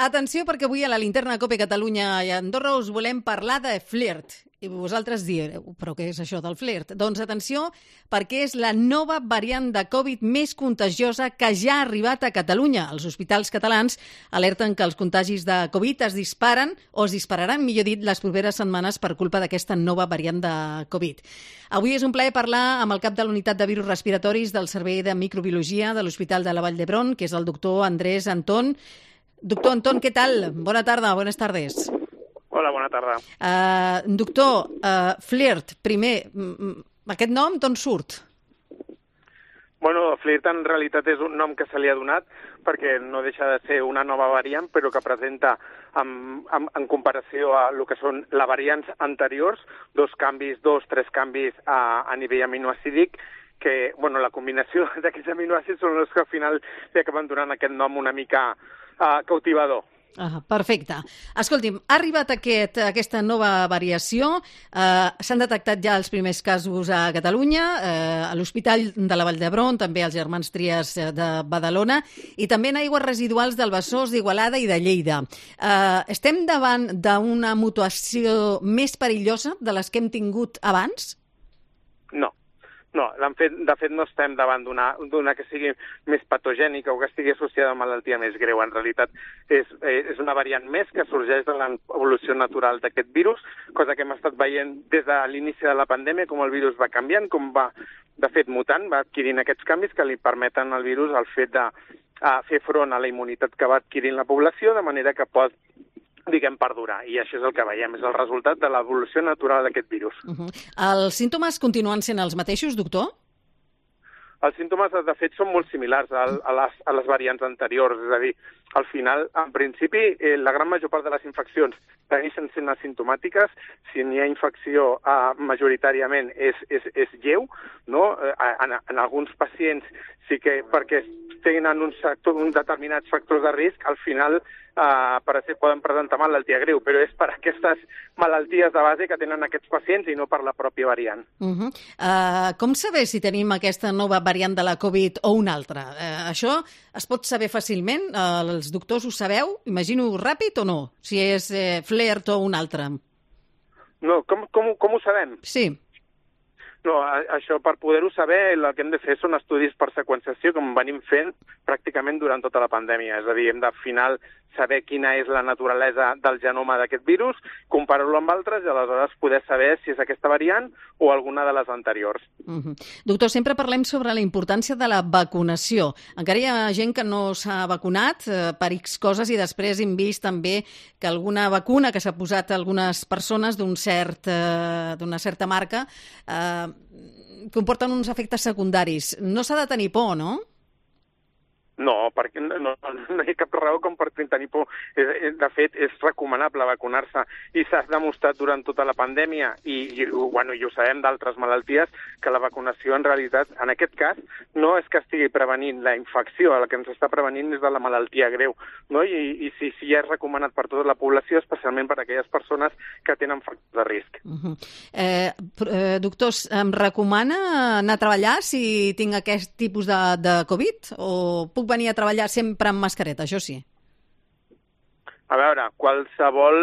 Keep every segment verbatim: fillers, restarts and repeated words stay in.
Atenció, perquè avui a la Linterna Cope Catalunya i Andorra us volem parlar de flirt. I vosaltres direu, però què és això del flirt? Doncs atenció, perquè és la nova variant de Covid més contagiosa que ja ha arribat a Catalunya. Els hospitals catalans alerten que els contagis de Covid es disparen, o es dispararan, millor dit, les properes setmanes per culpa d'aquesta nova variant de Covid. Avui és un plaer parlar amb el cap de la unitat de virus respiratoris del Servei de Microbiologia de l'Hospital de la Vall d'Hebron, que és el doctor Andrés Antón. Doctor Antón, què tal? Bona tarda, buenas tardes. Hola, bona tarda. Uh, doctor, uh, flirt, primer, aquest nom d'on surt? Bueno, flirt en realitat és un nom que se li ha donat perquè no deixa de ser una nova variant, però que presenta, en, en, en comparació a el que són les variants anteriors, dos canvis, dos, tres canvis a, a nivell aminoacídic, que bueno, la combinació d'aquests aminoàcids són els que al final li acaben donant aquest nom una mica uh, cautivador. Ah, perfecte. Escolti'm, ha arribat aquest, aquesta nova variació, eh, s'han detectat ja els primers casos a Catalunya, eh, a l'Hospital de la Vall d'Hebron, també als Germans Trias de Badalona, i també en aigües residuals del Besòs, d'Igualada i de Lleida. Eh, estem davant d'una mutació més perillosa de les que hem tingut abans? No. No, de fet, de fet no estem davant d'una que sigui més patogènica o que estigui associada a malaltia més greu. En realitat és, és una variant més que sorgeix de l'evolució natural d'aquest virus, cosa que hem estat veient des de l'inici de la pandèmia, com el virus va canviant, com va, de fet, mutant, va adquirint aquests canvis que li permeten al virus el fet de a fer front a la immunitat que va adquirint la població, de manera que pot diguem, perdurar. I això és el que veiem, és el resultat de l'evolució natural d'aquest virus. Uh-huh. Els símptomes continuen sent els mateixos, doctor? Els símptomes, de fet, són molt similars a, a, les, a les variants anteriors. És a dir, al final, en principi, eh, la gran major part de les infeccions segueixen sent asimptomàtiques. Si n'hi ha infecció, eh, majoritàriament és, és, és lleu, no? Eh, en, en alguns pacients sí que, perquè tenen uns, uns determinats factors de risc, al final Uh, per ser, poden presentar malaltia greu, però és per aquestes malalties de base que tenen aquests pacients i no per la pròpia variant. Uh-huh. uh, com saber si tenim aquesta nova variant de la Covid o una altra? Uh, això es pot saber fàcilment? Uh, els doctors ho sabeu? Imagino ràpid o no? Si és eh, flirt o una altra? No, com, com, com ho sabem? Sí. No, això, per poder-ho saber, el que hem de fer són estudis per seqüenciació, com venim fent pràcticament durant tota la pandèmia. És a dir, hem de, al final, saber quina és la naturalesa del genoma d'aquest virus, comparar-lo amb altres i aleshores poder saber si és aquesta variant o alguna de les anteriors. Uh-huh. Doctor, sempre parlem sobre la importància de la vacunació. Encara hi ha gent que no s'ha vacunat eh, per X coses i després hem vist també que alguna vacuna que s'ha posat a algunes persones d'un cert, eh, d'una certa marca eh, comporten uns efectes secundaris. No s'ha de tenir por, no? No, perquè no, no, no hi ha cap raó com per tenir por. De fet, és recomanable vacunar-se i s'ha demostrat durant tota la pandèmia i, i, bueno, i ho sabem d'altres malalties que la vacunació en realitat, en aquest cas, no és que estigui prevenint la infecció, el que ens està prevenint és de la malaltia greu, no? I, i sí, sí ja és recomanat per tota la població, especialment per a aquelles persones que tenen factors de risc. Uh-huh. eh, eh, doctors, em recomana anar a treballar si tinc aquest tipus de, de Covid o puc venir a treballar sempre amb mascareta, això sí? A veure, qualsevol...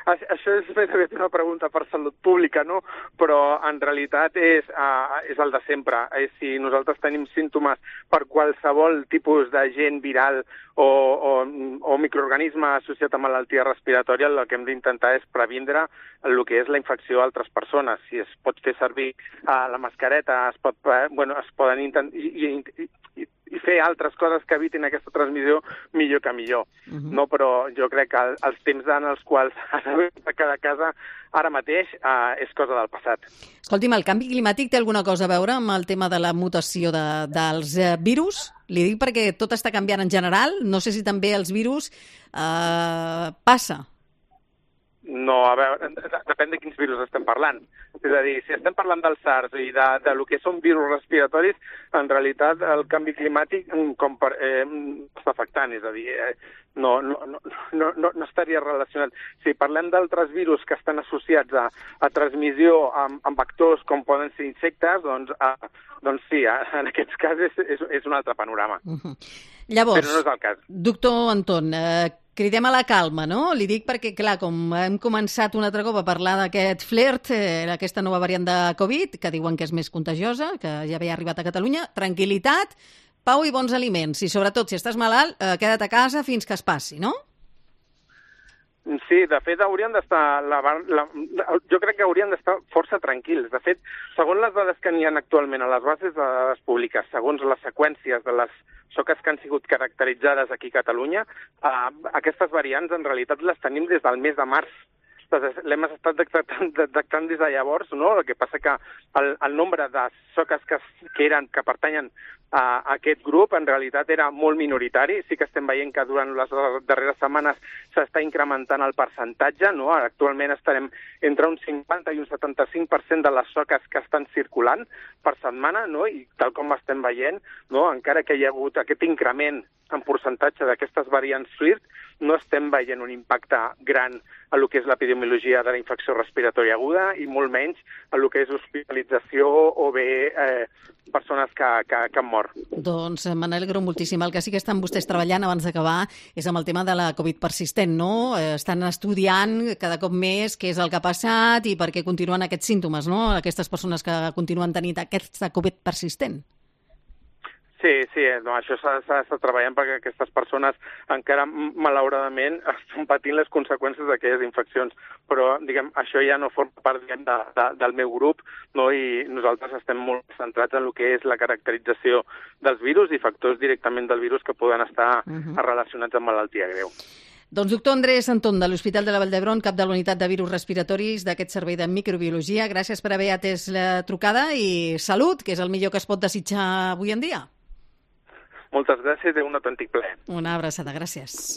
Això és més aviat una pregunta per salut pública, no? Però en realitat és, uh, és el de sempre. És si nosaltres tenim símptomes per qualsevol tipus d'agent viral o, o, o microorganisme associat a malaltia respiratòria, el que hem d'intentar és previndre el que és la infecció a altres persones. Si es pot fer servir uh, la mascareta, es, pot, uh, bueno, es poden intentar... I, i, i, i fer altres coses que evitin aquesta transmissió, millor que millor. Uh-huh. No, però jo crec que els temps en els quals has de quedar a casa ara mateix eh, és cosa del passat. Escolti'm, el canvi climàtic té alguna cosa a veure amb el tema de la mutació de, dels eh, virus? Li dic perquè tot està canviant en general. No sé si també els virus eh, passa. No, a veure, depèn de quins virus estem parlant. És a dir, si estem parlant del SARS i de, de lo que són virus respiratoris, en realitat el canvi climàtic com per, eh, està afectant, és a dir, eh, no, no, no, no, no estaria relacionat. Si parlem d'altres virus que estan associats a, a transmissió amb, amb vectors com poden ser insectes, doncs, a, doncs sí, a, en aquests casos és, és, és un altre panorama. Uh-huh. Llavors, però no és el cas. Doctor Anton, eh, cridem a la calma, no? Li dic perquè, clar, com hem començat un altre cop a parlar d'aquest flirt, eh, aquesta nova variant de Covid, que diuen que és més contagiosa, que ja havia arribat a Catalunya, tranquil·litat, pau i bons aliments. I sobretot, si estàs malalt, eh, queda't a casa fins que es passi, no? Sí, de fet, haurien d'estar... La, la, jo crec que haurien d'estar força tranquils. De fet, segons les dades que n'hi ha actualment a les bases de dades públiques, segons les seqüències de les soques que han sigut caracteritzades aquí a Catalunya, eh, aquestes variants en realitat les tenim des del mes de març. L'hem estat detectant, detectant des de llavors, no? El que passa que el, el nombre de soques que, que, eren, que pertanyen a, a aquest grup en realitat era molt minoritari. Sí que estem veient que durant les darreres setmanes s'està incrementant el percentatge, no? Actualment estarem entre un cinquanta i un setanta-cinc per cent de les soques que estan circulant per setmana, no? I tal com estem veient, no? Encara que hi ha hagut aquest increment en percentatge d'aquestes variants flirt, no estem veient un impacte gran a lo que és l'epidemiologia de la infecció respiratòria aguda i molt menys a lo que és hospitalització o bé eh, persones que, que, que han mort. Doncs me n'alegro moltíssim. El que sí que estan vostès treballant abans d'acabar és amb el tema de la Covid persistent, no? Estan estudiant cada cop més què és el que ha passat i per què continuen aquests símptomes, no? Aquestes persones que continuen tenint aquesta Covid persistent. Sí, sí, no, això s'ha d'estar treballant perquè aquestes persones encara, malauradament, estan patint les conseqüències d'aquelles infeccions. Però, diguem, això ja no forma part, diguem, de, de, del meu grup, no? I nosaltres estem molt centrats en el que és la caracterització dels virus i factors directament del virus que poden estar uh-huh. relacionats amb malaltia greu. Doncs doctor Andrés Anton, de l'Hospital de la Vall d'Hebron, cap de la unitat de virus respiratoris d'aquest servei de microbiologia. Gràcies per haver atès la trucada i salut, que és el millor que es pot desitjar avui en dia. Moltes gràcies i un autèntic plaer. Una abraçada, gràcies.